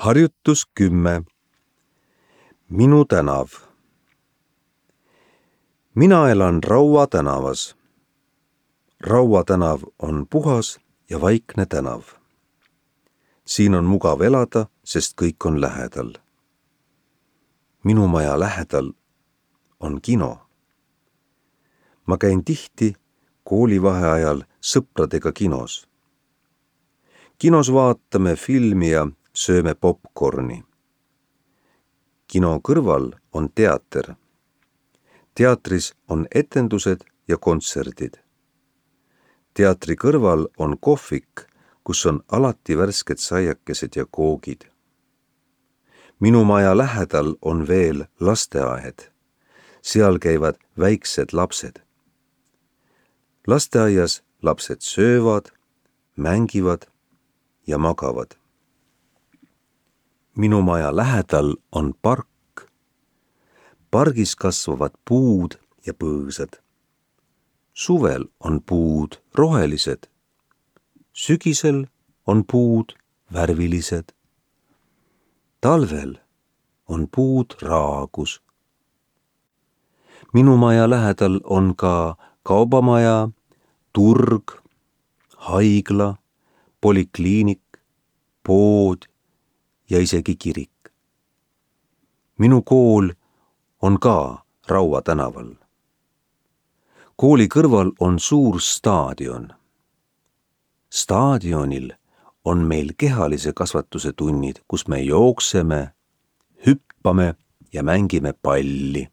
Harjutus 10. Minu tänav. Mina elan Raua tänavas. Raua tänav on puhas ja vaikne tänav. Siin on mugav elada, sest kõik on lähedal. Minu maja lähedal on kino. Ma käin tihti koolivaheajal sõpradega kinos. Kinos vaatame filmi ja sööme popcorni. Kino kõrval on teater. Teatris on etendused ja kontserdid. Teatri kõrval on kohvik, kus on alati värsked saiakesed ja koogid. Minu maja lähedal on veel lasteaed. Seal käivad väiksed lapsed. Lasteaias lapsed söövad, mängivad ja magavad. Minu maja lähedal on park. Pargis kasvavad puud ja põõsad. Suvel on puud rohelised. Sügisel on puud värvilised. Talvel on puud raagus. Minu maja lähedal on ka kaubamaja, turg, haigla, polikliinik, pood ja isegi kirik. Minu kool on ka Raua tänaval. Kooli kõrval on suur staadion. Staadionil on meil kehalise kasvatuse tunnid, kus me jookseme, hüppame ja mängime palli.